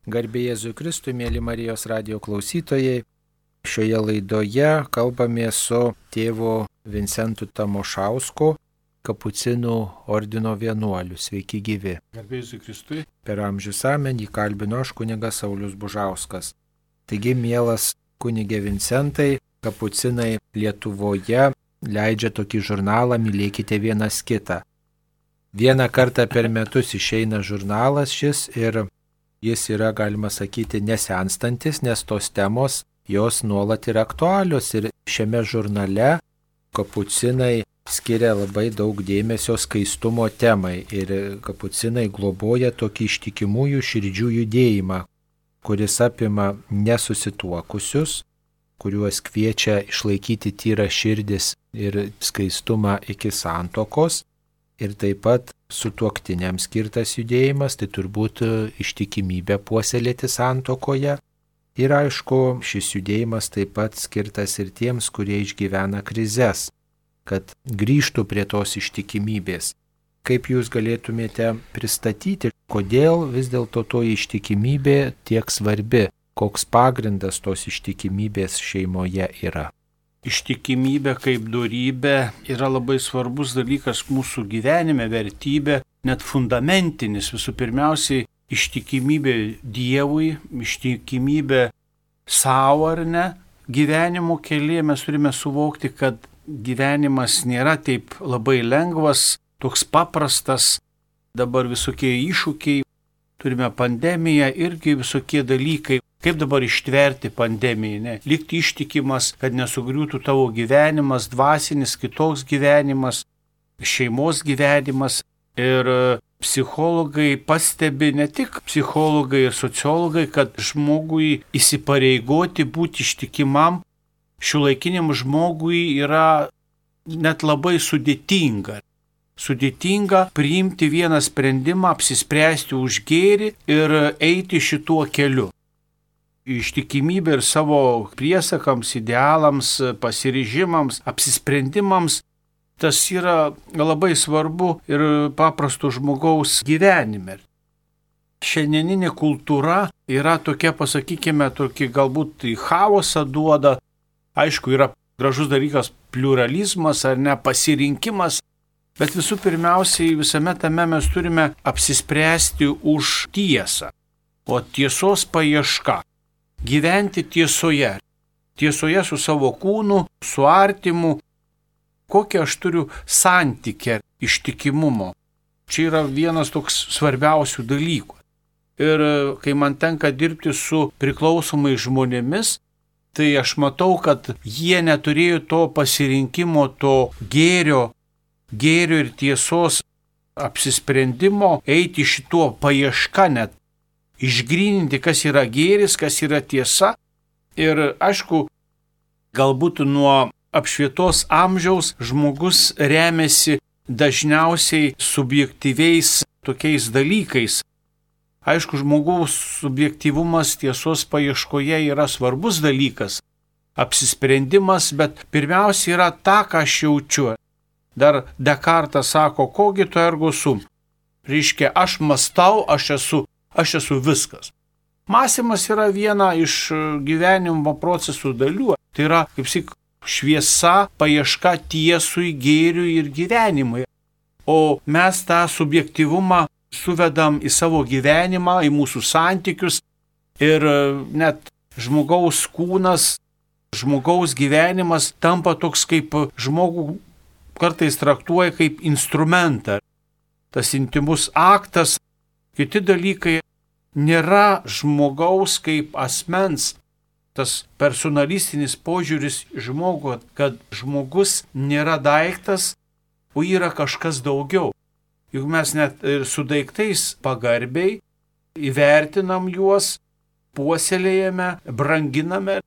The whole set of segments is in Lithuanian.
Garbė Jėzui Kristui, mėly Marijos radijo klausytojai. Šioje laidoje kalbame su tėvu Vincentu Tamošausku, Kapucinų ordino vienuoliu. Sveiki gyvi. Garbė Jėzui Kristui. Per amžius amen jį kalbino aš, kunigas Saulius Bužauskas. Taigi, mielas kunigė Vincentai, Kapucinai Lietuvoje leidžia tokį žurnalą Mylėkite vienas kitą. Vieną kartą per metus išeina žurnalas šis ir jis yra, galima sakyti, nesenstantis, nes tos temos jos nuolat yra aktualios ir šiame žurnale Kapucinai skiria labai daug dėmesio skaistumo temai ir Kapucinai globoja tokį ištikimųjų širdžių judėjimą, kuris apima nesusituokusius, kuriuos kviečia išlaikyti tyrą širdis ir skaistumą iki santuokos. Ir taip pat sutuoktiniams skirtas judėjimas, tai turbūt ištikimybė puoselėti santuokoje. Ir aišku, šis judėjimas taip pat skirtas ir tiems, kurie išgyvena krizes, kad grįžtų prie tos ištikimybės. Kaip jūs galėtumėte pristatyti, kodėl vis dėlto to ištikimybė tiek svarbi, koks pagrindas tos ištikimybės šeimoje yra? Ištikimybė kaip dorybė yra labai svarbus dalykas mūsų gyvenime, vertybė, net fundamentinis. Visų pirmiausiai, ištikimybė Dievui, ištikimybė savo ar ne. Gyvenimo kelyje mes turime suvokti, kad gyvenimas nėra taip labai lengvas, toks paprastas. Dabar visokie iššūkiai, turime pandemiją, irgi visokie dalykai. Kaip dabar ištverti pandemiją, ne? Likti ištikimas, kad nesugriūtų tavo gyvenimas, dvasinis, kitoks gyvenimas, šeimos gyvenimas. Ir psichologai pastebi, ne tik psichologai ir sociologai, kad žmogui įsipareigoti būti ištikimam šiuolaikiniam žmogui yra net labai sudėtinga. Sudėtinga priimti vieną sprendimą, apsispręsti už gėrį ir eiti šituo keliu. Ištikimybė ir savo priesakams, idealams, pasiryžimams, apsisprendimams, tas yra labai svarbu ir paprasto žmogaus gyvenime. Šiandieninė kultūra yra tokia, pasakykime, tokia galbūt į chaosą duoda. Aišku, yra gražus dalykas pluralizmas ar ne pasirinkimas, bet visų pirmiausiai visame tame mes turime apsispręsti už tiesą, o tiesos paieška. Gyventi tiesoje. Tiesoje su savo kūnu, su artimu. Kokią aš turiu santykį ištikimumo. Čia yra vienas toks svarbiausių dalykų. Ir kai man tenka dirbti su priklausomais žmonėmis, tai aš matau, kad jie neturėjo to pasirinkimo, to gėrio ir tiesos apsisprendimo, eiti šituo paieška net. Išgryninti, kas yra gėris, kas yra tiesa. Ir aišku, galbūt nuo apšvietos amžiaus žmogus remiasi dažniausiai subjektyviais tokiais dalykais. Aišku, žmogaus subjektyvumas tiesos paieškoje yra svarbus dalykas. Apsisprendimas, bet pirmiausia yra ta, ką aš jaučiu. Dar Dekartas sako, kogi tu ergo sum. Reiškia, aš mąstau, aš esu viskas. Mąstymas yra viena iš gyvenimo procesų dalių. Tai yra, kaip sakyk, šviesa, paieška tiesui, gėriui ir gyvenimui. O mes tą subjektyvumą suvedam į savo gyvenimą, į mūsų santykius ir net žmogaus kūnas, žmogaus gyvenimas tampa toks, kaip žmogų kartais traktuoja kaip instrumentą. Tas intimus aktas, kiti dalykai nėra žmogaus kaip asmens, tas personalistinis požiūris žmogų, kad žmogus nėra daiktas, o yra kažkas daugiau. Juk mes net ir su daiktais pagarbiai įvertinam juos, puoselėjame, branginame,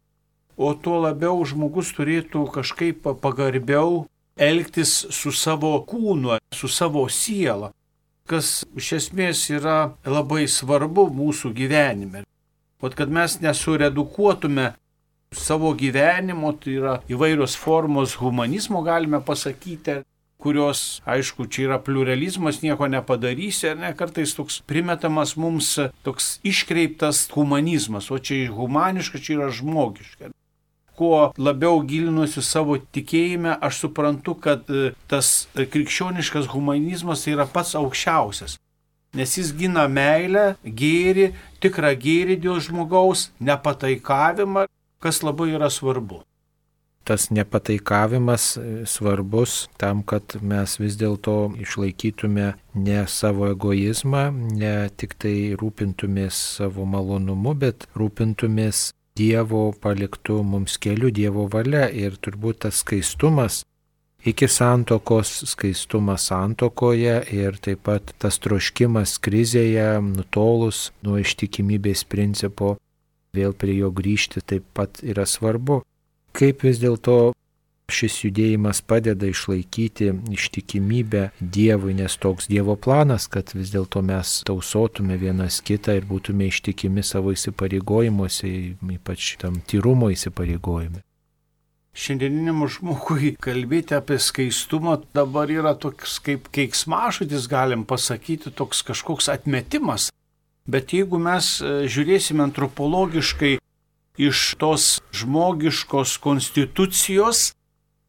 o tuo labiau žmogus turėtų kažkaip pagarbiau elgtis su savo kūnu, su savo siela, kas iš esmės yra labai svarbu mūsų gyvenime. O kad mes nesuredukuotume savo gyvenimo, tai yra įvairios formos humanizmo, galime pasakyti, kurios, aišku, čia yra pluralizmas, nieko nepadarysi, ar ne, kartais toks primetamas mums toks iškreiptas humanizmas, o čia humaniška, čia yra žmogiška. Kuo labiau gilinuosi savo tikėjime, aš suprantu, kad tas krikščioniškas humanizmas yra pats aukščiausias. Nes jis gina meilę, gėrį, tikrą gėrį dėl žmogaus, nepataikavimą, kas labai yra svarbu. Tas nepataikavimas svarbus tam, kad mes vis dėlto išlaikytume ne savo egoizmą, ne tik tai rūpintumės savo malonumu, bet rūpintumės Dievo paliktų mums kelių, Dievo valia, ir turbūt tas skaistumas iki santokos, skaistumas santokoje ir taip pat tas troškimas krizėje, nutolus nuo ištikimybės principo, vėl prie jo grįžti taip pat yra svarbu. Kaip vis dėlto šis judėjimas padeda išlaikyti ištikimybę Dievui, nes toks Dievo planas, kad vis dėlto mes tausotume vienas kitą ir būtume ištikimi savo įsipareigojimuose, ypač tam tyrumo įsipareigojime. Šiandieniniam žmogui kalbėti apie skaistumą dabar yra toks kaip keiksmažodis, galim pasakyti, toks kažkoks atmetimas. Bet jeigu mes žiūrėsime antropologiškai iš tos žmogiškos konstitucijos,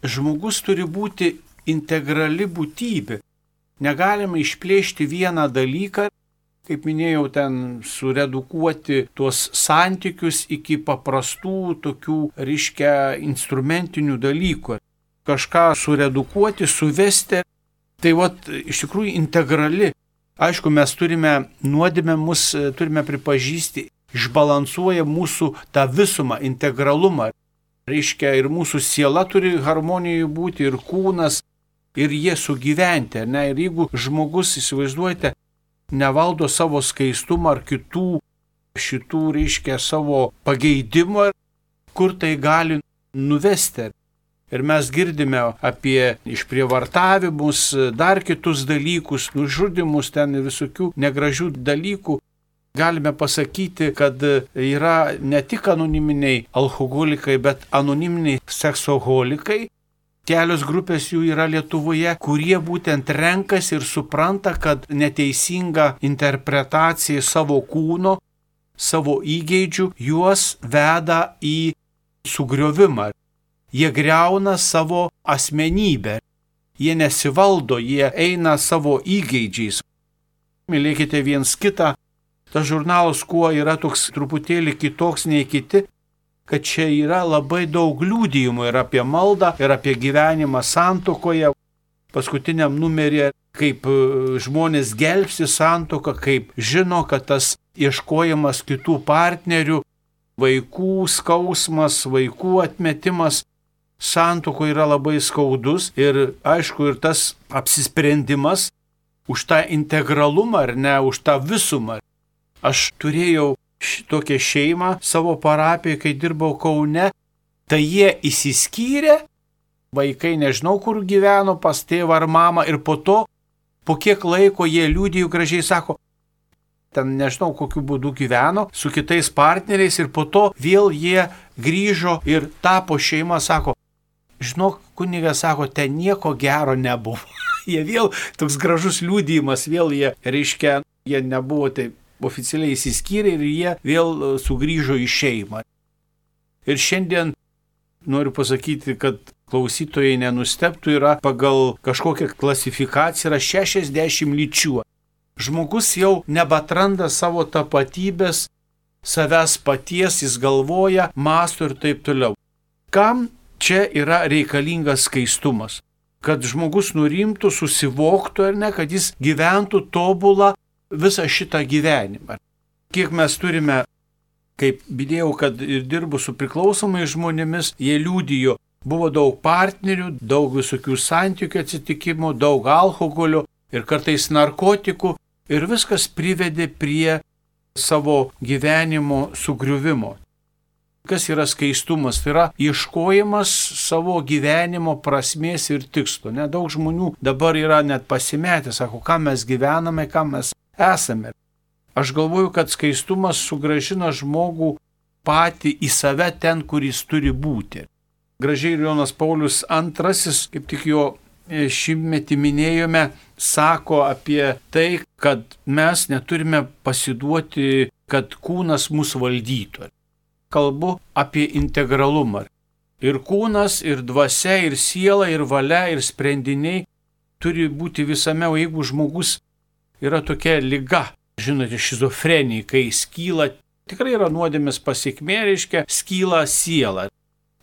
žmogus turi būti integrali būtybė. Negalime išplėšti vieną dalyką, kaip minėjau, ten suredukuoti tuos santykius iki paprastų tokių, instrumentinių dalykų. Kažką suredukuoti, suvesti. Tai iš tikrųjų integrali. Aišku, mes turime nuodėmę, mus turime pripažįsti, išbalansuoja mūsų tą visumą, integralumą. Ir mūsų siela turi harmonijoje būti, ir kūnas, ir jie sugyventi. Ne? Ir jeigu žmogus, įsivaizduojate, nevaldo savo skaistumą ar kitų savo pageidimų, kur tai gali nuvesti. Ir mes girdime apie išprievartavimus, dar kitus dalykus, nužudimus, ten visokių negražių dalykų. Galime pasakyti, kad yra ne tik anoniminiai alkoholikai, bet anoniminiai seksoholikai. Kelios grupės jų yra Lietuvoje, kurie būtent renkasi ir supranta, kad neteisinga interpretacija savo kūno, savo įgeidžių juos veda į sugriovimą. Jie griauna savo asmenybę. Jie nesivaldo, jie eina savo įgeidžiais. Mylėkite viens kitą. Tas žurnalas kuo yra toks truputėlį kitoks nei kiti, kad čia yra labai daug liudijimų ir apie maldą, ir apie gyvenimą santuokoje. Paskutiniam numeryje, kaip žmonės gelbsti santuoką, kaip žino, kad tas ieškojimas kitų partnerių, vaikų skausmas, vaikų atmetimas santuokoje yra labai skaudus. Ir aišku, ir tas apsisprendimas už tą integralumą ar ne, už tą visumą. Aš turėjau tokią šeimą savo parapijoje, kai dirbau Kaune, tai jie išsiskyrė, vaikai nežinau kur gyveno, pas tėvą ar mamą, ir po to, po kiek laiko jie liudijo gražiai, sako, ten nežinau kokiu būdu gyveno su kitais partneriais, ir po to vėl jie grįžo ir tapo šeima, sako, žinok, kunigas, sako, ten nieko gero nebuvo. Jie vėl, toks gražus liudijimas, vėl jie nebuvo taip oficialiai įsiskyrė ir jie vėl sugrįžo į šeimą. Ir šiandien noriu pasakyti, kad klausytojai nenustebtų, yra pagal kažkokią klasifikaciją yra 60 lyčių. Žmogus jau nebeatranda savo tapatybės, savęs paties, jis galvoja, mąsto ir taip toliau. Kam čia yra reikalingas skaistumas? Kad žmogus nurimtų, susivoktų ar ne, kad jis gyventų tobulą visą šitą gyvenimą. Kiek mes turime, kaip minėjau, kad ir dirbu su priklausomais žmonėmis, jie liudijo, buvo daug partnerių, daug visokių santykių atsitikimų, daug alkoholio ir kartais narkotikų, ir viskas privedė prie savo gyvenimo sugriuvimo. Kas yra skaistumas? Tai yra ieškojimas savo gyvenimo prasmės ir tikslo. Nedaug žmonių dabar yra net pasimetę, sako, ką mes gyvename, ką mes esame. Aš galvoju, kad skaistumas sugrąžina žmogų patį į save ten, kur jis turi būti. Gražiai Jonas Paulius II, kaip tik jo šimtmetį minėjome, sako apie tai, kad mes neturime pasiduoti, kad kūnas mus valdytų. Kalbu apie integralumą. Ir kūnas, ir dvasia, ir siela, ir valia, ir sprendiniai turi būti visame, o jeigu žmogus yra tokia liga, žinote, šizofrenija, kai skyla, tikrai yra nuodėmės pasekmė, reiškia, skyla siela.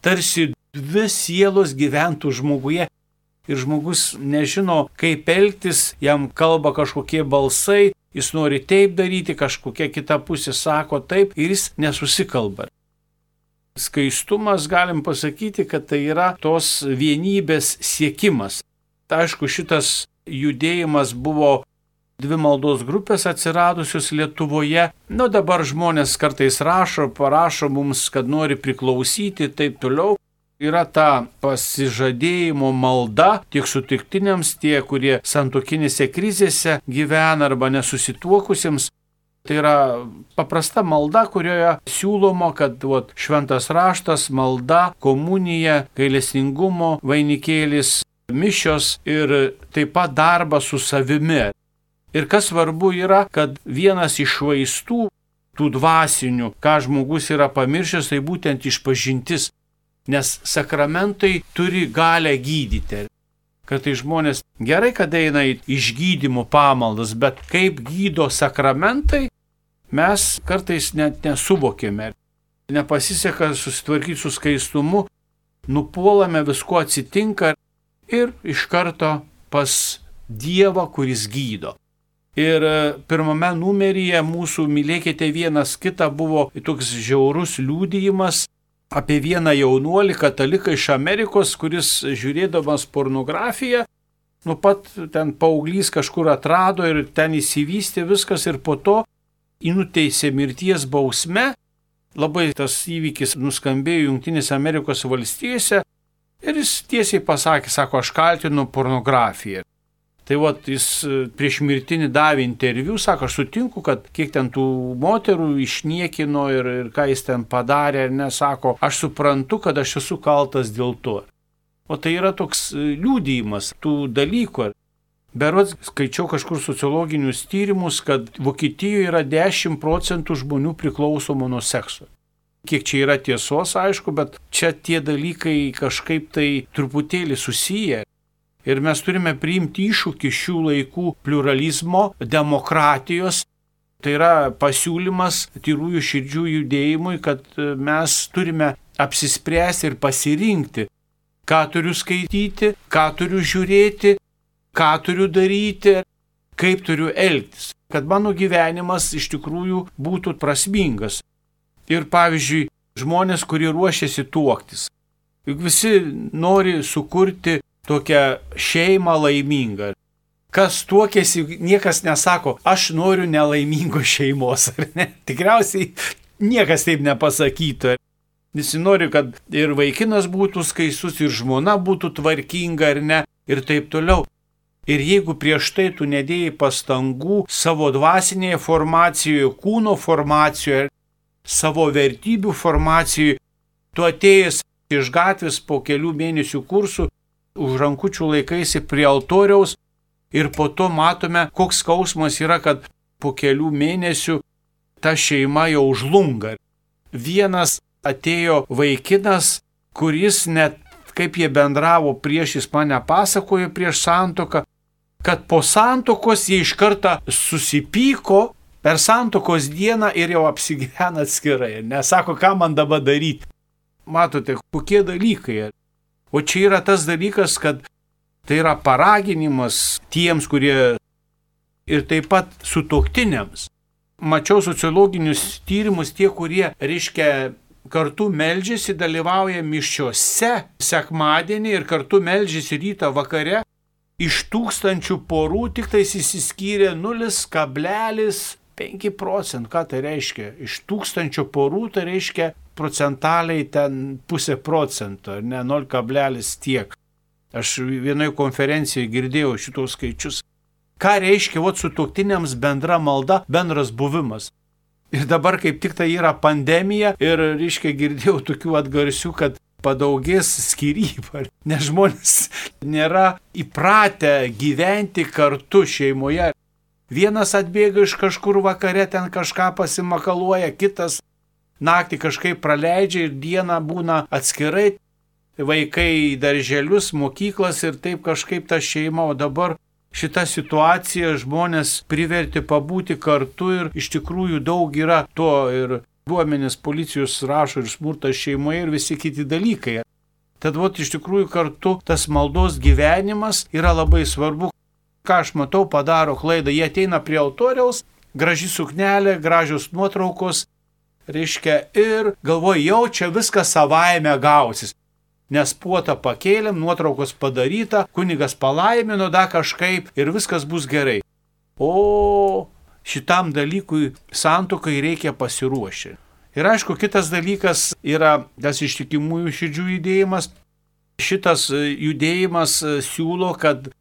Tarsi dvi sielos gyventų žmoguje ir žmogus nežino, kaip elgtis, jam kalba kažkokie balsai, jis nori taip daryti, kažkokia kita pusė sako taip ir jis nesusikalba. Skaistumas, galim pasakyti, kad tai yra tos vienybės siekimas. Aišku, šitas judėjimas buvo dvi maldos grupės atsiradusios Lietuvoje. Dabar žmonės kartais parašo mums, kad nori priklausyti ir taip toliau. Yra ta pasižadėjimo malda tiek sutiktiniams, tie, kurie santuokinėse krizėse gyvena arba nesusituokusiems. Tai yra paprasta malda, kurioje siūloma, kad šventas raštas, malda, komunija, gailestingumo vainikėlis, mišios ir taip pat darbas su savimi. Ir kas svarbu yra, kad vienas iš vaistų, tų dvasinių, ką žmogus yra pamiršęs, tai būtent išpažintis. Nes sakramentai turi galę gydyti. Kad tai žmonės gerai, kad eina į išgydymo pamaldas, bet kaip gydo sakramentai, mes kartais net nesuvokėme. Nepasiseka susitvarkyti su skaistumu, nupuolame, visko atsitinka ir iš karto pas Dievą, kuris gydo. Ir pirmame numeryje mūsų Mylėkite vienas kitą buvo toks žiaurus liudijimas apie vieną jaunuolį kataliką iš Amerikos, kuris žiūrėdamas pornografiją, nuo pat ten paauglys kažkur atrado ir ten įsivystė viskas ir po to nuteisė mirties bausme. Labai tas įvykis nuskambėjo Jungtinėse Amerikos valstijose ir jis tiesiai pasakė, sako, aš kaltinu pornografiją. Tai jis prieš mirtinį davė interviu, sako, aš sutinku, kad kiek ten tų moterų išniekino ir ką jis ten padarė, ir nesako, aš suprantu, kad aš esu kaltas dėl to. O tai yra toks liudijimas tų dalykų. Berods skaičiau kažkur sociologinius tyrimus, kad Vokietijoje yra 10% žmonių priklausomų nuo sekso. Kiek čia yra tiesos, aišku, bet čia tie dalykai kažkaip tai truputėlį susiję. Ir mes turime priimti iššūkį šių laikų pluralizmo, demokratijos. Tai yra pasiūlymas tyrųjų širdžių judėjimui, kad mes turime apsispręsti ir pasirinkti, ką turiu skaityti, ką turiu žiūrėti, ką turiu daryti, kaip turiu elgtis, kad mano gyvenimas iš tikrųjų būtų prasmingas. Ir pavyzdžiui, žmonės, kurie ruošiasi tuoktis. Juk visi nori sukurti tokią šeimą laimingą. Kas tuokėsi, niekas nesako, aš noriu nelaimingos šeimos, ar ne? Tikriausiai niekas taip nepasakytų. Visi nori, kad ir vaikinas būtų skaistus, ir žmona būtų tvarkinga, ar ne, ir taip toliau. Ir jeigu prieš tai tu nedėjai pastangų savo dvasinėje formacijoje, kūno formacijoje, savo vertybių formacijoje, tu atėjęs iš gatvės po kelių mėnesių kursų, už rankučių laikaisi prie altoriaus ir po to matome, koks skausmas yra, kad po kelių mėnesių ta šeima jau žlunga. Vienas atėjo vaikinas, kuris net kaip jie bendravo prieš, jis mane pasakojo prieš santuoką, kad po santuokos jie iš karto susipyko per santuokos dieną ir jau apsigyvena atskirai. Nesako, ką man dabar daryti. Matote, kokie dalykai. O čia yra tas dalykas, kad tai yra paraginimas tiems, kurie ir taip pat sutuoktiniams. Mačiau sociologinius tyrimus, tie, kurie, reiškia, kartu meldžiasi, dalyvauja mišiose sekmadienį ir kartu meldžiasi rytą vakare. Iš 1000 porų tik tais išsiskyrė 0,5%. Ką tai reiškia? Iš 1000 porų tai reiškia procentaliai ten 0,5%, ne 0, tiek. Aš vienoje konferencijoje girdėjau šitos skaičius. Ką reiškia sutuoktiniams bendra malda, bendras buvimas. Ir dabar kaip tik tai yra pandemija ir, reiškia, girdėjau tokių atgarsių, kad padaugės skyrybų, nes žmonės nėra įpratę gyventi kartu šeimoje. Vienas atbėga iš kažkur vakare, ten kažką pasimakaluoja, kitas naktį kažkaip praleidžia ir dieną būna atskirai, vaikai į darželius, mokyklas ir taip kažkaip ta šeima, o dabar šita situacija žmonės privertė pabūti kartu ir iš tikrųjų daug yra to ir duomenys policijos rašo ir smurtas šeimoje ir visi kiti dalykai. Tad iš tikrųjų kartu tas maldos gyvenimas yra labai svarbu. Ką aš matau, padaro klaidą, jie ateina prie altoriaus, graži suknelė, gražios nuotraukos, reiškia, ir galvoja, jau čia viskas savaime gausis. Nes puotą pakėlėm, nuotraukos padaryta, kunigas palaimino, da kažkaip ir viskas bus gerai. O šitam dalykui santuokai reikia pasiruošti. Ir aišku, kitas dalykas yra tas ištikimųjų širdžių judėjimas. Šitas judėjimas siūlo, kad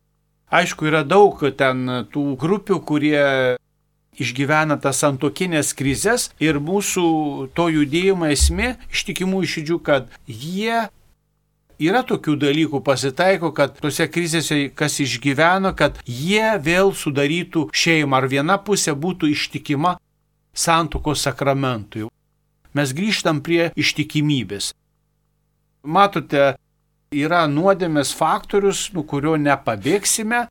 aišku, yra daug ten tų grupių, kurie išgyvena tas santuokinės krizės ir mūsų to judėjimo esmė ištikimųjų širdžių, kad jie yra tokių dalykų pasitaiko, kad tose krizėse kas išgyveno, kad jie vėl sudarytų šeimą ar viena pusė būtų ištikima santuokos sakramentui. Mes grįžtam prie ištikimybės. Matote, yra nuodėmės faktorius, nuo kurio nepabėgsime.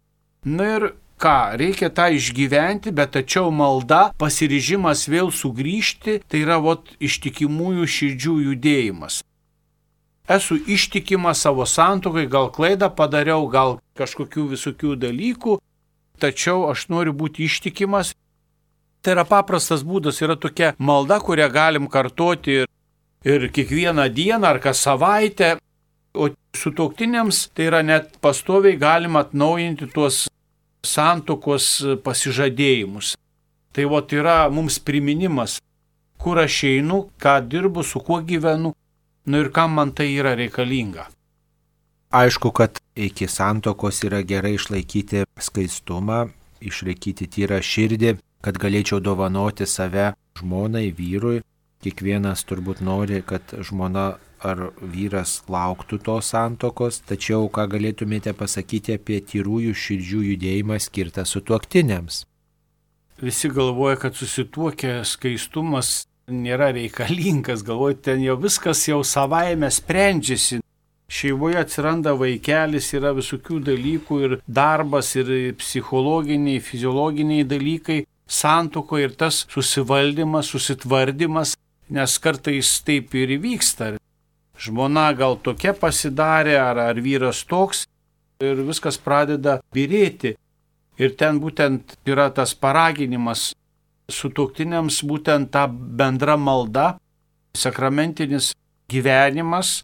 Ir ką, reikia tą išgyventi, bet tačiau malda, pasiryžimas vėl sugrįžti, tai yra ištikimųjų širdžių judėjimas. Esu ištikimas savo santuokai, gal klaidą padariau, gal kažkokių visokių dalykų, tačiau aš noriu būti ištikimas. Tai yra paprastas būdas, yra tokia malda, kurią galim kartoti ir kiekvieną dieną ar kas savaitę. O sutuoktiniams tai yra net pastoviai galima atnaujinti tuos santuokos pasižadėjimus. Tai yra mums priminimas, kur aš einu, ką dirbu, su kuo gyvenu, ir kam man tai yra reikalinga. Aišku, kad iki santuokos yra gerai išlaikyti skaistumą, išlaikyti tyrą širdį, kad galėčiau dovanoti save žmonai, vyrui. Kiekvienas turbūt nori, kad žmona ar vyras lauktų tos santuokos, tačiau ką galėtumėte pasakyti apie tyrųjų širdžių judėjimą skirtą sutuoktiniams? Visi galvoja, kad susituokę skaistumas nėra reikalingas, galvoja, ten jau viskas jau savaime sprendžiasi. Šeimoje atsiranda vaikelis, yra visokių dalykų ir darbas, ir psichologiniai, fiziologiniai dalykai, santuokoje ir tas susivaldymas, susitvardymas, nes kartais taip ir įvyksta. Žmona gal tokia pasidarė, ar vyras toks, ir viskas pradeda byrėti. Ir ten būtent yra tas paraginimas sutuoktiniams, būtent ta bendra malda, sakramentinis gyvenimas,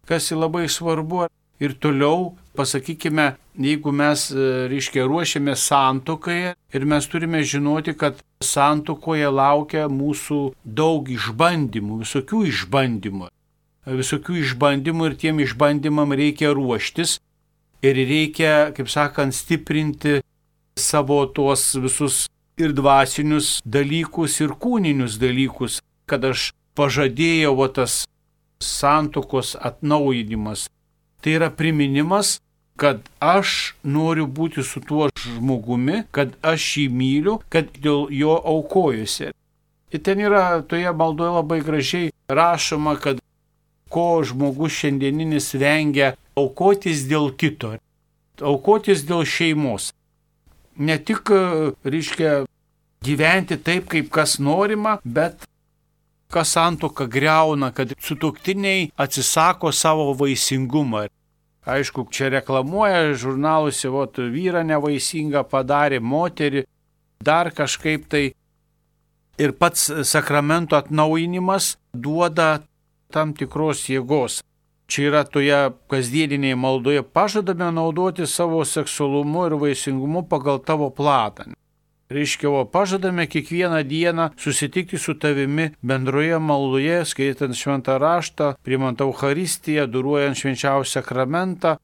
kas labai svarbu. Ir toliau, pasakykime, jeigu mes, ruošiamės santuokai ir mes turime žinoti, kad santuokoje laukia mūsų daug išbandymų, visokių išbandymų ir tiem išbandymam reikia ruoštis ir reikia, kaip sakant, stiprinti savo tuos visus ir dvasinius dalykus, ir kūninius dalykus, kad aš pažadėjau tas santuokos atnaujinimas. Tai yra priminimas, kad aš noriu būti su tuo žmogumi, kad aš jį myliu, kad dėl jo aukojusi. Ir ten yra toje maldoje labai gražiai rašoma, kad ko žmogus šiandieninis vengia aukotis dėl kito, aukotis dėl šeimos. Ne tik, gyventi taip, kaip kas norima, bet kas santuoką griauna, kad sutuoktiniai atsisako savo vaisingumą. Aišku, čia reklamuoja žurnaluose, vyrą nevaisingą padarė, moterį, dar kažkaip tai. Ir pats sakramento atnaujinimas duoda tam tikros jėgos. Čia yra toje kasdieninėje maldoje, pažadame naudoti savo seksualumu ir vaisingumu pagal tavo planą. Pažadame kiekvieną dieną susitikti su tavimi bendroje maldoje, skaitant šventą raštą, priimant Eucharistiją, adoruojant švenčiausią sakramentą.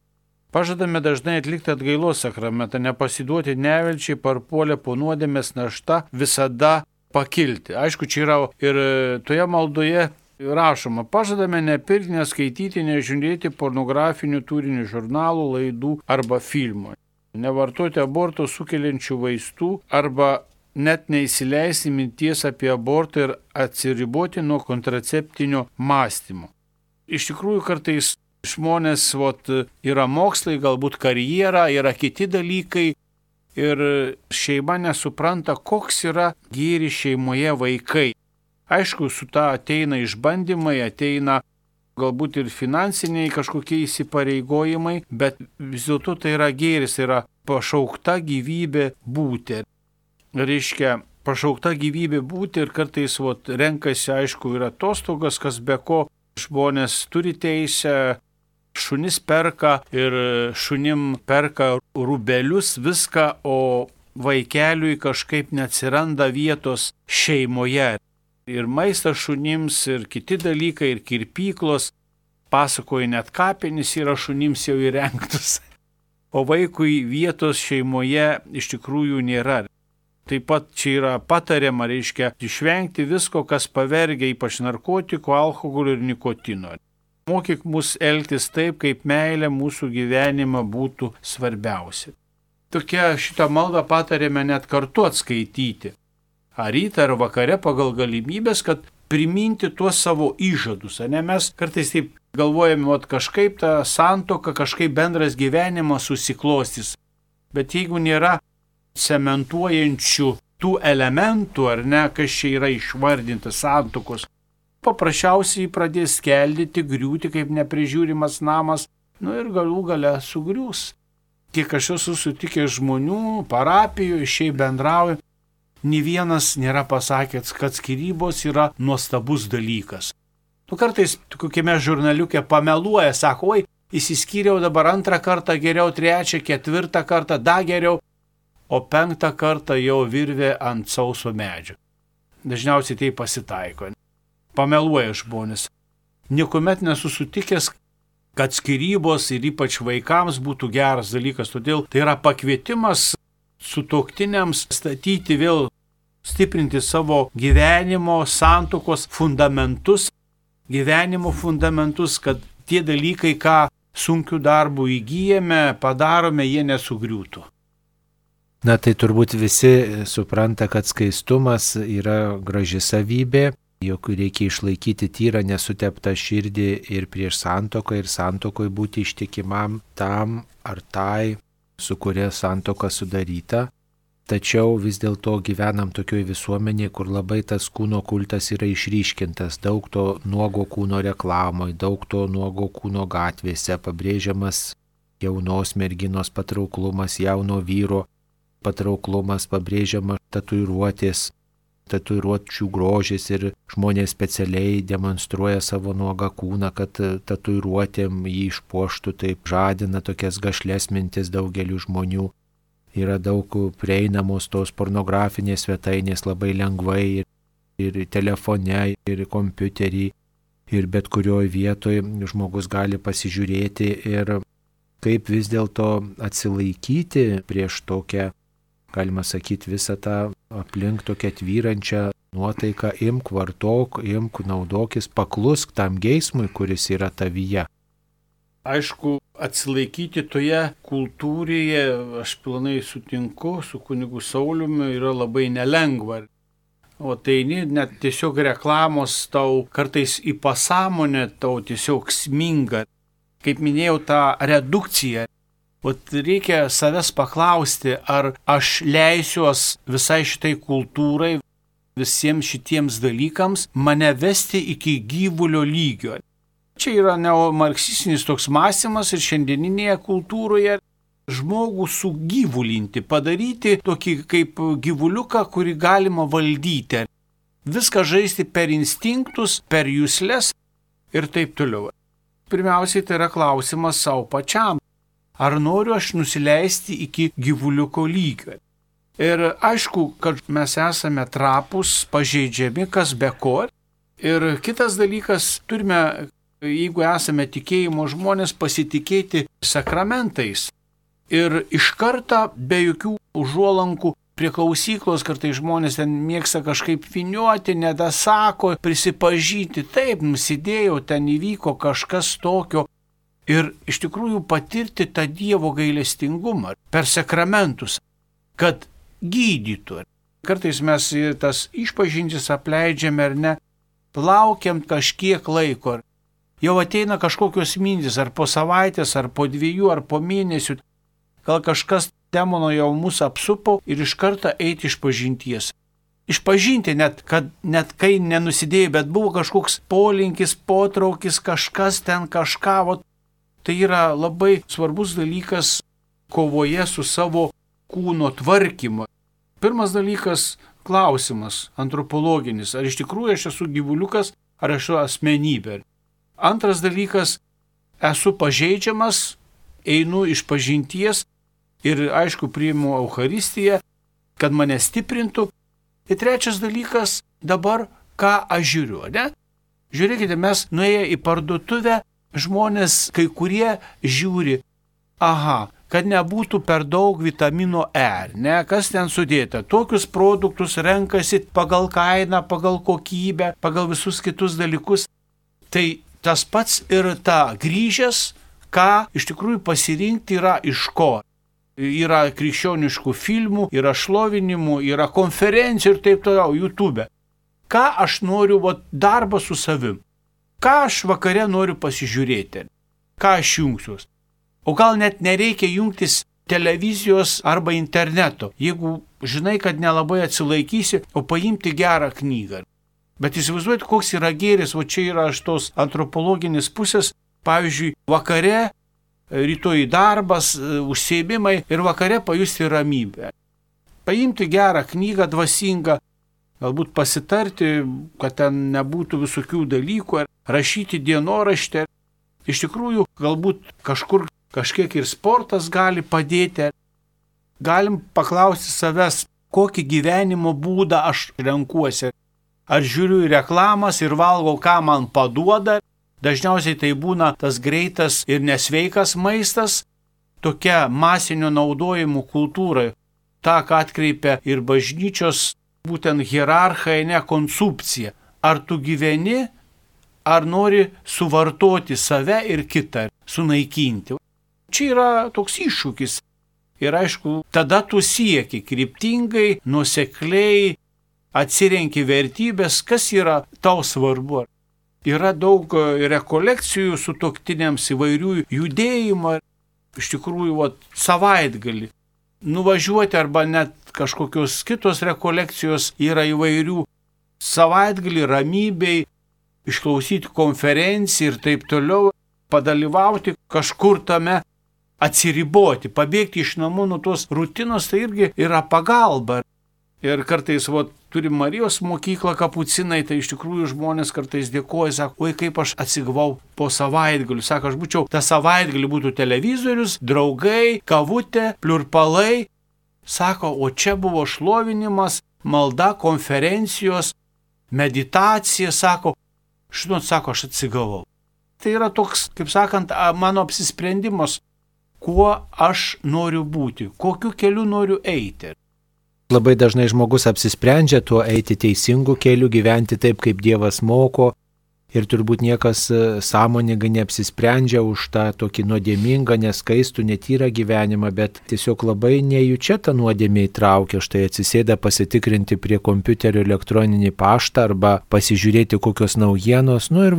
Pažadame dažnai atlikti atgailos sakramentą, nepasiduoti nevilčiai, parpuolę po nuodėmės našta, visada pakilti. Aišku, čia yra ir toje maldoje Rašoma, pažadame nepirkti, neskaityti, nežiūrėti pornografinių turinių žurnalų, laidų arba filmų, nevartoti aborto sukeliančių vaistų arba net neįsileisti minties apie abortą ir atsiriboti nuo kontraceptinio mąstymo. Iš tikrųjų, kartais žmonės, yra mokslai, galbūt karjera, yra kiti dalykai ir šeima nesupranta, koks yra gėris šeimoje vaikai. Aišku, su ta ateina išbandymai, ateina galbūt ir finansiniai kažkokie įsipareigojimai, bet vis dėlto tai yra gėris, tai yra pašaukta gyvybė būti. Reiškia, pašaukta gyvybė būti ir kartais renkasi, aišku, ir atostogas, kas be ko žmonės turi teisę, šunis perka ir šunim perka rubelius, viską, o vaikeliui kažkaip neatsiranda vietos šeimoje. Ir maistas šunims, ir kiti dalykai, ir kirpyklos, pasakoja net kapinys yra šunims jau įrengtus. O vaikui vietos šeimoje iš tikrųjų nėra. Taip pat čia yra patariama, reiškia, išvengti visko, kas pavergia, ypač narkotikų, alkoholio ir nikotino. Mokyk mus elgtis taip, kaip meilė mūsų gyvenimą būtų svarbiausia. Tokia šitą maldą patarėme net kartu atskaityti. Ar rytą ar vakare pagal galimybės, kad priminti tuos savo įžadus. Mes kartais taip galvojame, kažkaip ta santuoka, kažkaip bendras gyvenimas susiklostys. Bet jeigu nėra cementuojančių tų elementų, ar ne, kas čia yra išvardintas santuokos, paprasčiausiai pradės skeldyti, griūti kaip neprižiūrimas namas, ir galų gale sugriūs. Kiek aš esu sutikęs žmonių, parapijoje, šiaip bendrauju, nė vienas nėra pasakęs, kad skyrybos yra nuostabus dalykas. Kartais kokiame žurnaliuke pameluoja, sako, įsiskyriau dabar 2 kartą geriau, 3, 4 kartą dar geriau, o 5 kartą jau virvė ant sauso medžio. Dažniausiai tai pasitaiko. Pameluoja žmonės. Niekuomet nesu sutikęs, kad skyrybos ir ypač vaikams būtų geras dalykas, todėl tai yra pakvietimas sutuoktiniams statyti vėl, stiprinti savo gyvenimo, santuokos fundamentus, kad tie dalykai, ką sunkių darbų įgyjame, padarome, jie nesugriūtų. Tai turbūt visi supranta, kad skaistumas yra graži savybė, jog reikia išlaikyti tyrą, nesuteptą širdį ir prieš santuoką, ir santuokoje būti ištikimam tam ar tai, su kuria santuoka sudaryta. Tačiau vis dėlto gyvenam tokioje visuomenėje, kur labai tas kūno kultas yra išryškintas, daug to nuogo kūno reklamoje, daug to nuogo kūno gatvėse, pabrėžiamas jaunos merginos patrauklumas, jauno vyro patrauklumas, pabrėžiama tatuiruočių grožis ir žmonės specialiai demonstruoja savo nuogą kūną, kad tatuiruotėm jį išpuoštų, taip žadina tokias gašles mintis daugelių žmonių. Yra daug prieinamos tos pornografinės svetainės labai lengvai ir telefone, ir kompiuterį, ir bet kurioje vietoje žmogus gali pasižiūrėti ir kaip vis dėlto atsilaikyti prieš tokią, galima sakyti, visą tą aplink tokią tvyrančią nuotaiką, imk, vartok, imk, naudokis, paklusk tam geismui, kuris yra tavyje. Aišku, atsilaikyti toje kultūroje, aš pilnai sutinku su kunigu Sauliumi, yra labai nelengva. O tai net tiesiog reklamos tau kartais į pasąmonę tau tiesiog sminga. Kaip minėjau, tą redukciją. Reikia savęs paklausti, ar aš leisiuos visai šitai kultūrai, visiems šitiems dalykams mane vesti iki gyvulio lygio. Čia yra neomarksistinis toks mąstymas ir šiandieninėje kultūroje žmogų sugyvulinti, padaryti tokį kaip gyvuliuką, kurį galima valdyti. Viską žaisti per instinktus, per jusles ir taip toliau. Pirmiausiai tai yra klausimas savo pačiam. Ar noriu aš nusileisti iki gyvuliuko lygio? Ir aišku, kad mes esame trapus, pažeidžiami, kas be ko. Ir kitas dalykas, turime, jeigu esame tikėjimo žmonės, pasitikėti sakramentais. Ir iš karto be jokių užuolankų prie klausyklos, kartais žmonės ten mėgsta kažkaip viniuoti, nedasako, prisipažinti, taip, nusidėjau, ten įvyko kažkas tokio. Ir iš tikrųjų patirti tą Dievo gailestingumą per sakramentus, kad gydytų. Kartais mes tas išpažintis apleidžiame ar ne, laukiam kažkiek laiko. Jau ateina kažkokios mintis, ar po savaitės, ar po 2, ar po mėnesių. Gal kažkas demono jau mus apsupo ir iš karto eiti išpažinties. Išpažinti net kai nenusidėjai, bet buvo kažkoks polinkis, potraukis, kažkas ten kažką. Tai yra labai svarbus dalykas kovoje su savo kūno tvarkymu. Pirmas dalykas – klausimas antropologinis. Ar iš tikrųjų aš esu gyvuliukas, ar esu asmenybė? Antras dalykas – esu pažeidžiamas, einu išpažinties ir, aišku, priimu Eucharistiją, kad mane stiprintų. Ir trečias dalykas – dabar ką aš žiūriu, ne? Žiūrėkite, mes nuėję į parduotuvę, žmonės kai kurie žiūri, kad nebūtų per daug vitamino E, ne, kas ten sudėta. Tokius produktus renkasi pagal kainą, pagal kokybę, pagal visus kitus dalykus. Tai tas pats ir ta grįžęs, ką iš tikrųjų pasirinkti yra iš ko. Yra krikščioniškų filmų, yra šlovinimų, yra konferencijų ir taip toliau, YouTube. Ką aš noriu, darbą su savim. Ką aš vakare noriu pasižiūrėti, ką aš jungsiuos. O gal net nereikia jungtis televizijos arba interneto, jeigu žinai, kad nelabai atsilaikysi, o paimti gerą knygą. Bet įsivaizduojate, koks yra gėris, čia yra iš tos antropologinės pusės, pavyzdžiui, vakare, rytoj darbas, užsiėmimai ir vakare pajusti ramybę. Paimti gerą knygą, dvasingą, galbūt pasitarti, kad ten nebūtų visokių dalykų, rašyti dienoraštį. Iš tikrųjų, galbūt kažkiek ir sportas gali padėti. Galim paklausti savęs, kokį gyvenimo būdą aš renkuosi. Ar žiūriu į reklamas ir valgau, ką man paduoda. Dažniausiai tai būna tas greitas ir nesveikas maistas. Tokia masinio naudojimo kultūra. Ta, ką atkreipia ir bažnyčios būtent hierarchai, ne konsumpcija. Ar tu gyveni, ar nori suvartoti save ir kitą, sunaikinti. Čia yra toks iššūkis. Ir aišku, tada tu sieki kryptingai, nuosekliai, atsirenki vertybės, kas yra tau svarbu. Yra daug rekolekcijų sutuoktiniams, įvairių judėjimų. Iš tikrųjų, savaitgalį nuvažiuoti arba net kažkokios kitos rekolekcijos yra įvairių. Savaitgalį ramybei, išklausyti konferenciją ir taip toliau, padalyvauti kažkur tame, atsiriboti, pabėgti iš namų nuo tos rutinos, tai irgi yra pagalba. Ir kartais turim Marijos mokyklą kapucinai, tai iš tikrųjų žmonės kartais dėkoja, sako, oi kaip aš atsigavau po savaitgalių. Sako, aš būčiau, tą savaitgalį būtų televizorius, draugai, kavutė, pliurpalai. Sako, o čia buvo šlovinimas, malda, konferencijos, meditacija, sako, sako, aš atsigavau. Tai yra toks, kaip sakant, mano apsisprendimas, kuo aš noriu būti, kokiu keliu noriu eiti. Labai dažnai žmogus apsisprendžia tuo eiti teisingu keliu, gyventi taip, kaip Dievas moko, ir turbūt niekas sąmoningai neapsisprendžia už tą tokį nuodėmingą, neskaistų, netyrą gyvenimą, bet tiesiog labai nejučia tą nuodėmę įtraukia, štai atsisėda pasitikrinti prie kompiuterio elektroninį paštą arba pasižiūrėti kokios naujienos, ir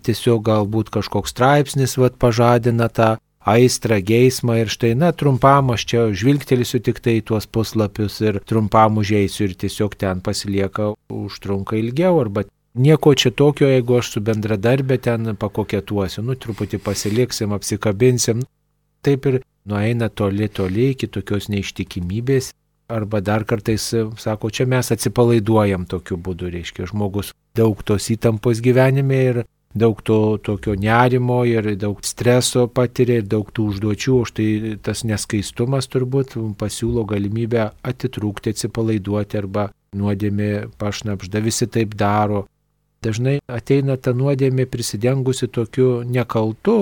tiesiog galbūt kažkoks straipsnis pažadina tą aistrą, geismą ir štai, trumpam aš čia žvilgtelėsiu tik tai į tuos puslapius ir trumpam užeisiu ir tiesiog ten pasilieka, užtrunka ilgiau, arba nieko čia tokio, jeigu aš su bendradarbė ten pakokėtuosiu, truputį pasiliksim, apsikabinsim. Taip ir nueina toli iki tokios neištikimybės, arba dar kartais, sako, čia mes atsipalaiduojam tokiu būdu, reiškia, žmogus daug tos įtampos gyvenime ir daug to tokio nerimo ir daug streso patiria ir daug tų užduočių, už tai tas neskaistumas turbūt pasiūlo galimybę atitrūkti, atsipalaiduoti arba nuodėmė pašnapžda, visi taip daro. Dažnai ateina ta nuodėmė prisidengusi tokiu nekaltu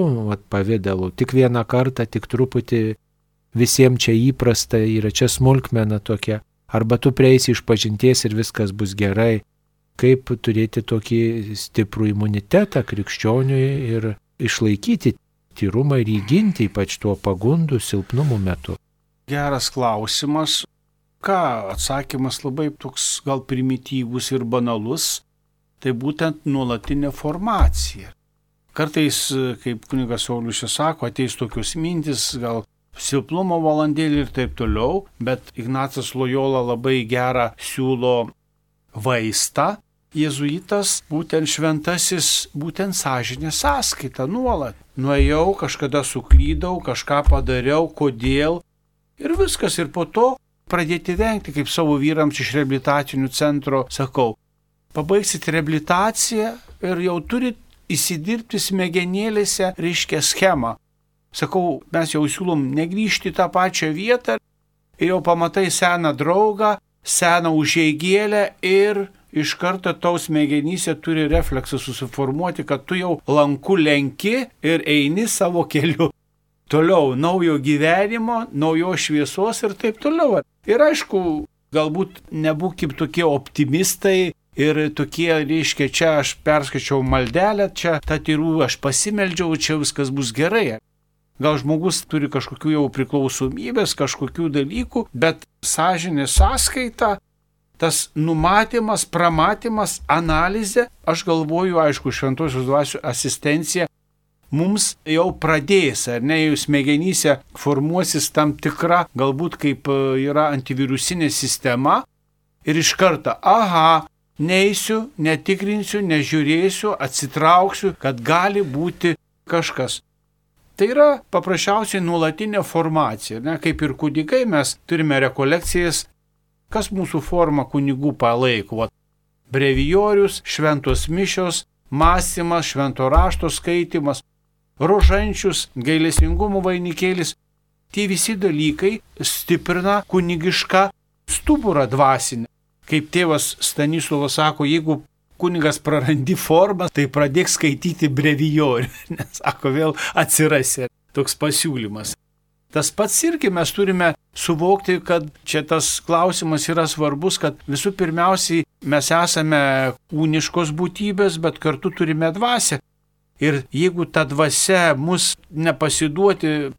pavidalu, tik vieną kartą, tik truputį, visiems čia įprasta, yra čia smulkmena tokia. arba tu prieisi iš pažinties ir viskas bus gerai. Kaip turėti tokį stiprų imunitetą krikščioniui ir išlaikyti tyrumą ir įginti, ypač tuo pagundų silpnumų metu? Geras klausimas. Ką, atsakymas labai toks gal primityvus ir banalus, tai būtent nuolatinė formacija. Kartais, kaip kunigas Saulius sako, ateis tokios mintis, gal silpnumo valandėlį ir taip toliau, bet Ignacas Lojola labai gerą siūlo vaistą. Jėzuitas, būtent šventasis, būtent sąžinės sąskaita nuolat. Nuėjau, kažkada suklydau, kažką padariau, kodėl ir viskas. Ir po to pradėti vengti, kaip savo vyrams iš reabilitacinių centro sakau. Pabaigsit reabilitaciją ir jau turit įsidirbti smegenėlėse, reiškia, schemą. Sakau, mes jau siūlom negrįžti į tą pačią vietą ir jau pamatai seną draugą, seną užeigėlę ir iš karto tau smegenyse turi refleksą susiformuoti, kad tu jau lanku lenki ir eini savo keliu. Toliau naujo gyvenimo, naujos šviesos ir taip toliau. Ir aišku, galbūt nebūkim tokie optimistai ir tokie, reiškia, čia aš perskaičiau maldelę, čia tą tyrų aš pasimeldžiau, čia viskas bus gerai. Gal žmogus turi kažkokių jau priklausomybės, kažkokių dalykų, bet sąžinės sąskaita, tas numatymas, pramatymas, analizė, aš galvoju, aišku, šventosios dvasios asistencija mums jau pradės, ar ne, jau smegenyse formuosis tam tikra, galbūt kaip yra antivirusinė sistema ir iš karto, aha, neisiu, netikrinsiu, nežiūrėsiu, atsitrauksiu, kad gali būti kažkas. Tai yra paprasčiausiai nuolatinė formacija, ne, kaip ir kunigai mes turime rekolekcijas, kas mūsų formą kunigų palaiko. Brevijorius, šventos mišios, mąstymas, švento rašto skaitimas, rožančius, gailestingumo vainikėlis. Tie visi dalykai stiprina kunigišką stuburą dvasinę. Kaip tėvas Stanislovas sako, jeigu kunigas prarandi formą, tai pradėk skaityti brevijorių, nes sako, vėl atsirasi toks pasiūlymas. Tas pats irgi mes turime suvokti, kad čia tas klausimas yra svarbus, kad visų pirmiausiai mes esame kūniškos būtybės, bet kartu turime dvasią. Ir jeigu ta dvasia mus nepasiduoti,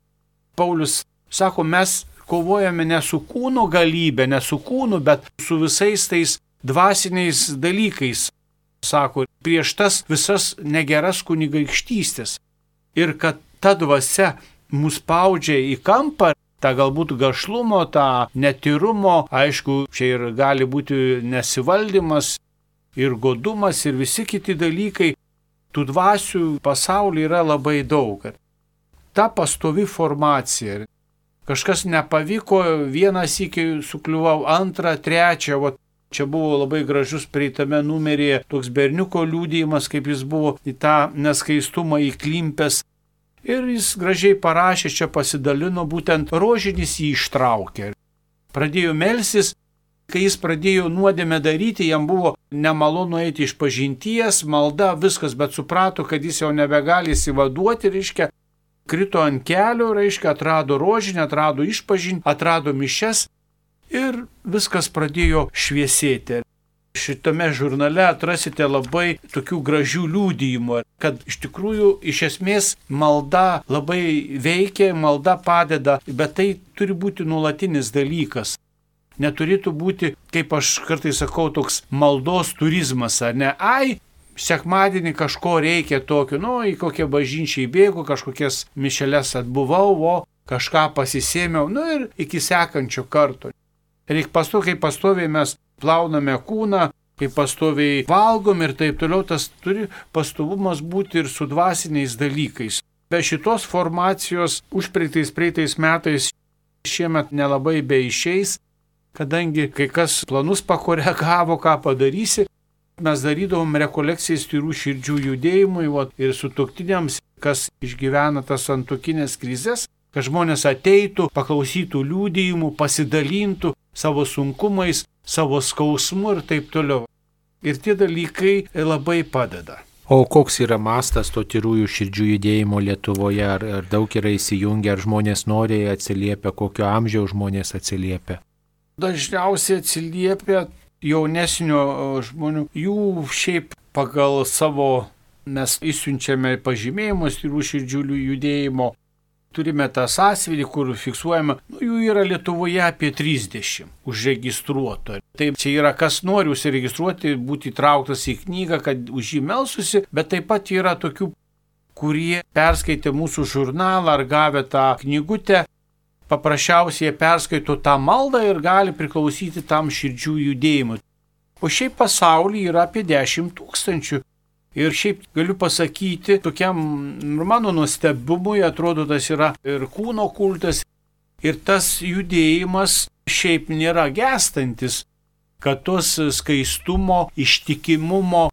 Paulius sako, mes kovojame ne su kūno galybė, ne su kūnu, bet su visais tais dvasiniais dalykais. Sako, prieš tas visas negeras kunigaikštystės. Ir kad ta dvasia mus spaudžia į kampą, tą galbūt gašlumo, tą netyrumo, aišku, čia ir gali būti nesivaldymas, ir godumas, ir visi kiti dalykai, tų dvasių pasaulyje yra labai daug. Ta pastovi formacija. Kažkas nepavyko, vieną sykį sukliuvau, antrą, trečią, čia buvo labai gražus praeitame numeryje toks berniuko liudijimas, kaip jis buvo į tą neskaistumą įklimpęs. Ir jis gražiai parašė, čia pasidalino, būtent rožinis jį ištraukė. Pradėjo melstis, kai jis pradėjo nuodėmę daryti, jam buvo nemalonu eiti iš pažinties, malda, viskas, bet suprato, kad jis jau nebegali įsivaduoti, reiškia, krito ant kelio, reiškia, atrado rožinę, atrado išpažinti, atrado mišes ir viskas pradėjo šviesėti. Šitame žurnale atrasite labai tokių gražių liudijimų, kad iš tikrųjų, iš esmės, malda labai veikia, malda padeda, bet tai turi būti nuolatinis dalykas. Neturėtų būti, kaip aš kartais sakau, toks maldos turizmas, ar ne? Ai, sekmadienį kažko reikia tokio, į kokią bažnyčią įbėgu, kažkokias mišeles atbuvau, kažką pasisėmiau, ir iki sekančio karto. Reikia pastoviai, kaip pastoviai mes plauname kūną, kaip pastoviai valgom ir taip toliau, tas turi pastovumas būti ir su dvasiniais dalykais. Be šitos formacijos užpraeitais metais šiemet nelabai beišeis, kadangi kai kas planus pakoregavo, ką padarysi, mes darydavom rekolekcijas tyrų širdžių judėjimui ir sutuoktiniams, kas išgyvena tas santuokinės krizės, kad žmonės ateitų, paklausytų liudijimų, pasidalintų savo sunkumais, savo skausmu ir taip toliau. Ir tie dalykai labai padeda. O koks yra mastas to tyrųjų širdžių judėjimo Lietuvoje? Ar daug yra įsijungę, ar žmonės noriai atsiliepia, kokio amžiaus žmonės atsiliepia? dažniausiai atsiliepia jaunesnio žmonių. Jų šiaip pagal savo mes išsiunčiame pažymėjimus tyrų širdžių judėjimo. Turime tą sąsiuvinį, kur fiksuojama, jų yra Lietuvoje apie 30 užregistruoto. Taip, čia yra kas nori užsiregistruoti, būti įtrauktas į knygą, kad už jį melstusi, bet taip pat yra tokių, kurie perskaitė mūsų žurnalą ar gavę tą knygutę, paprasčiausiai perskaito tą maldą ir gali priklausyti tam širdžių judėjimui. O šiaip pasaulyje yra apie 10 000. Ir šiaip galiu pasakyti, tokiam mano nustebumui atrodo, tas yra ir kūno kultas, ir tas judėjimas šiaip nėra gęstantis, kad tos skaistumo, ištikimumo,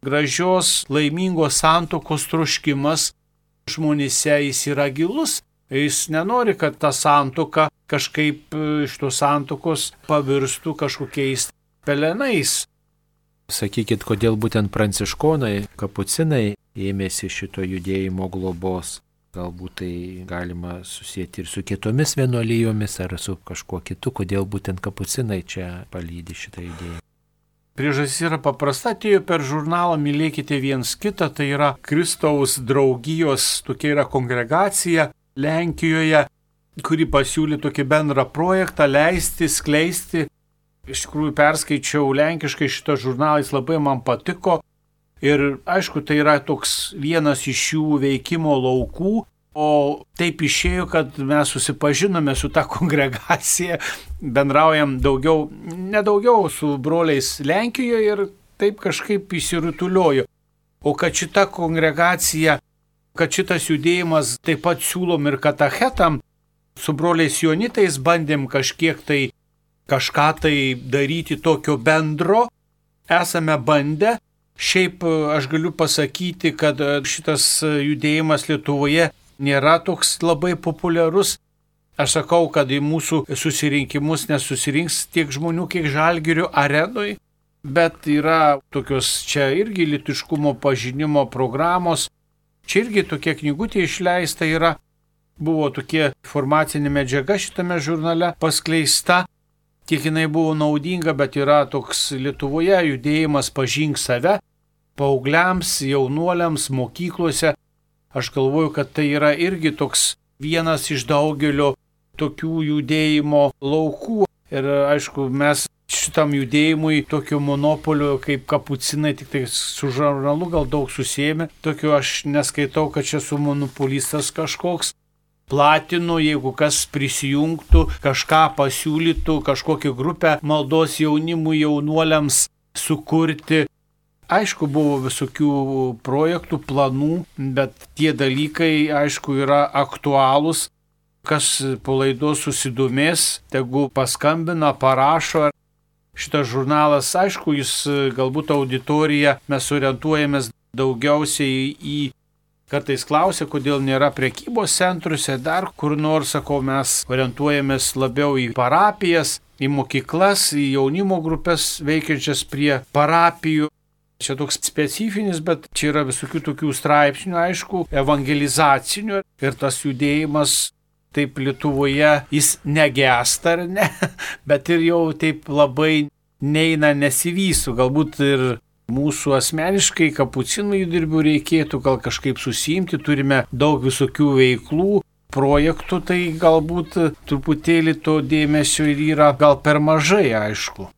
gražios, laimingos santuokos troškimas žmonėse jis yra gilus. Jis nenori, kad ta santuoka kažkaip iš tos santuokos pavirstų kažkokiais pelenais. Sakykit, kodėl būtent pranciškonai, kapucinai ėmėsi šito judėjimo globos? Galbūt tai galima susijęti ir su kitomis vienuolijomis ar su kažkuo kitu, kodėl būtent kapucinai čia palydi šitą judėjimą? Priežastis yra paprasta, atėjo per žurnalą Mylėkite viens kitą, tai yra Kristaus draugijos, tokia yra kongregacija Lenkijoje, kuri pasiūlė tokį bendrą projektą leisti, skleisti. Iš tikrųjų perskaičiau lenkiškai šitą žurnalą, jis labai man patiko ir aišku, tai yra toks vienas iš jų veikimo laukų, o taip išėjo, kad mes susipažinome su ta kongregacija, bendraujam nedaugiau su broliais Lenkijoje ir taip kažkaip įsirutuliojo. O kad šita kongregacija, kad šitas judėjimas taip pat siūlom ir katechetam, su broliais Jonitais bandėm kažką tai daryti tokio bendro, esame bandę. Šiaip aš galiu pasakyti, kad šitas judėjimas Lietuvoje nėra toks labai populiarus. Aš sakau, kad į mūsų susirinkimus nesusirinks tiek žmonių, kiek Žalgirio arenoj, bet yra tokios čia irgi lytiškumo pažinimo programos. Čia irgi tokia knygutė išleista yra, buvo tokia informacinė medžiaga šitame žurnale paskleista. Kiek jinai buvo naudinga, bet yra toks Lietuvoje judėjimas Pažink save, paaugliams, jaunuoliams, mokyklose. Aš galvoju, kad tai yra irgi toks vienas iš daugelio tokių judėjimo laukų. Ir aišku, mes šitam judėjimui tokio monopolio kaip kapucinai, tik tai su žurnalu gal daug susijėmė. Tokio aš neskaitau, kad čia su monopolistas kažkoks. Platinu, jeigu kas prisijungtų, kažką pasiūlytų, kažkokią grupę maldos jaunimui, jaunuoliams sukurti. Aišku, buvo visokių projektų, planų, bet tie dalykai, aišku, yra aktualūs. Kas po laidos susidomės, tegu paskambina, parašo. Šitas žurnalas, aišku, jis galbūt auditorija, mes orientuojamės daugiausiai į kartais klausia, kodėl nėra prekybos centruose, dar kur nors, sakau, mes orientuojamės labiau į parapijas, į mokyklas, į jaunimo grupės veikiančias prie parapijų. Čia toks specifinis, bet čia yra visokių tokių straipsnių, aišku, evangelizacinių ir tas judėjimas taip Lietuvoje, jis negesta ar ne, bet ir jau taip labai neina, nesivysto, galbūt ir mūsų asmeniškai kapucinų įdirbių reikėtų gal kažkaip susiimti, turime daug visokių veiklų, projektų, tai galbūt truputėlį to dėmesio ir yra gal per mažai, aišku.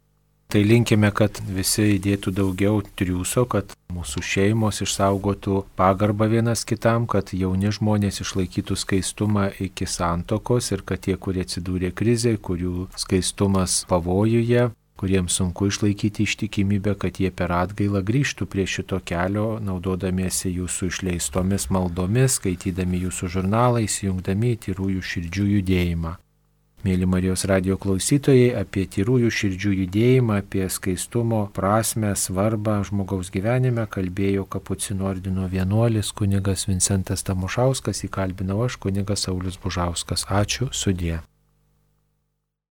Tai linkime, kad visi įdėtų daugiau triūso, kad mūsų šeimos išsaugotų pagarbą vienas kitam, kad jauni žmonės išlaikytų skaistumą iki santuokos ir kad tie, kurie atsidūrė krizėje, kurių skaistumas pavojuje, kuriems sunku išlaikyti ištikimybę, kad jie per atgailą grįžtų prie šito kelio, naudodamiesi jūsų išleistomis maldomis, skaitydami jūsų žurnalą, įsijungdami į tyrųjų širdžių judėjimą. Mėly Marijos radijo klausytojai, apie tyrųjų širdžių judėjimą, apie skaistumo prasmę, svarbą žmogaus gyvenime kalbėjo Kapucinų ordino vienuolis kunigas Vincentas Tamošauskas, įkalbinau aš kunigas Saulius Bužauskas. Ačiū, sudie.